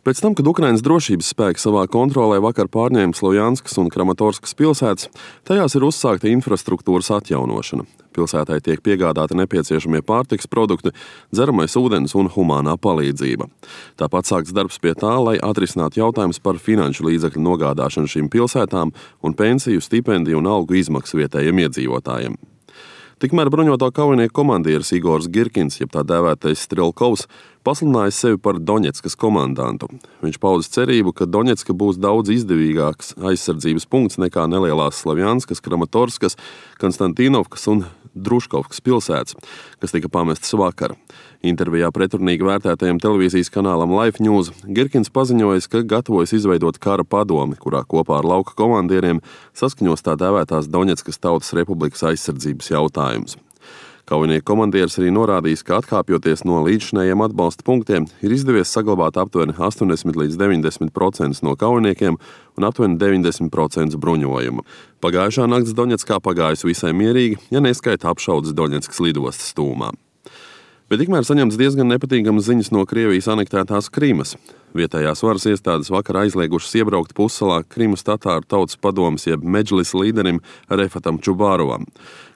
Pēc tam, kad Ukrainas drošības spēki savā kontrolē vakar pārņēma Slovjanskas un Kramatorskas pilsētas, tajās ir uzsākta infrastruktūras atjaunošana. Pilsētai tiek piegādāti nepieciešamie pārtikas produkti, dzeramais ūdens un humānā palīdzība. Tāpat sākts darbs pie tā, lai atrisinātu jautājumus par finanšu līdzekļu nogādāšanu šīm pilsētām un pensiju, stipendiju un algu izmaksu vietējiem iedzīvotājiem. Tikmēr bruņoto kaujinieku komandieris Igors Girkins, jeb tā dēvētais Strelkovs, pasludinājis sevi par Doņetskas komandantu. Viņš paudis cerību, ka Doņetska būs daudz izdevīgāks aizsardzības punkts nekā nelielās Slovjanskas, Kramatorskas, Konstantīnovkas un Druškovkas pilsētas, kas tika pamestas vakar. Intervijā pretrunīgi vērtētajam televīzijas kanālam Life News Girkins paziņojis, ka gatavojas izveidot kara padomi, kurā kopā ar lauka komandieriem saskaņos tā dēvētās Doņetskas Tautas Republikas aizsardzības jautājumus. Kaujinieku komandieris arī norādījis, ka atkāpjoties no līdzšinējiem atbalsta punktiem, ir izdevies saglabāt aptuveni 80 līdz 90% no kaujiniekiem un aptuveni 90% bruņojuma. Pagājušā nakts Doņetskā pagājusi visai mierīgi, ja neskaita apšaudes Doņetskas lidostas tūmā. Bet tikmēr saņemts diezgan nepatīkamas ziņas no Krievijas anektētās Krimas. Vietējās varas iestādes vakar aizliegušas iebraukt pussalā Krimas tatāru tautas padomes jeb Medžlis līderim Refatam Čubārovam.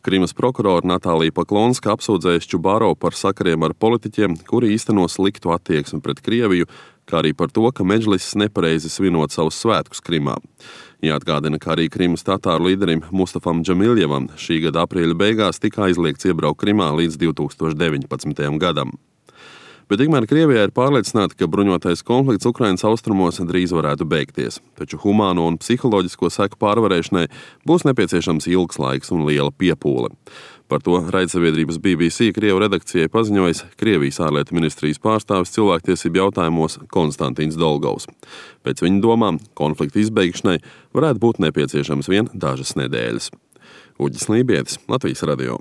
Krimas prokurora Natālija Paklonska apsūdzējusi Čubārovu par sakariem ar politiķiem, kuri īsteno sliktu attieksmi pret Krieviju, kā arī par to, ka Medžlis nepareizi svinot savus svētkus Krimā. Jāatgādina, ka arī Krimas tatāru līderim Mustafam Džamiljevam šī gada aprīļa beigās tika aizliegts iebraukt Krimā līdz 2019. gadam. Bet tikmēr Krievijā ir pārliecināta, ka bruņotais konflikts Ukrainas austrumos drīz varētu beigties, taču humāno un psiholoģisko seku pārvarēšanai būs nepieciešams ilgs laiks un liela piepūle. Par to raidsabiedrības BBC Krievu redakcijai paziņojis Krievijas ārlietu ministrijas pārstāvis cilvēktiesību jautājumos Konstantīns Dolgovs. Pēc viņa domām, konflikta izbeigšanai varētu būt nepieciešams vien dažas nedēļas. Uģis Lībietis, Latvijas radio.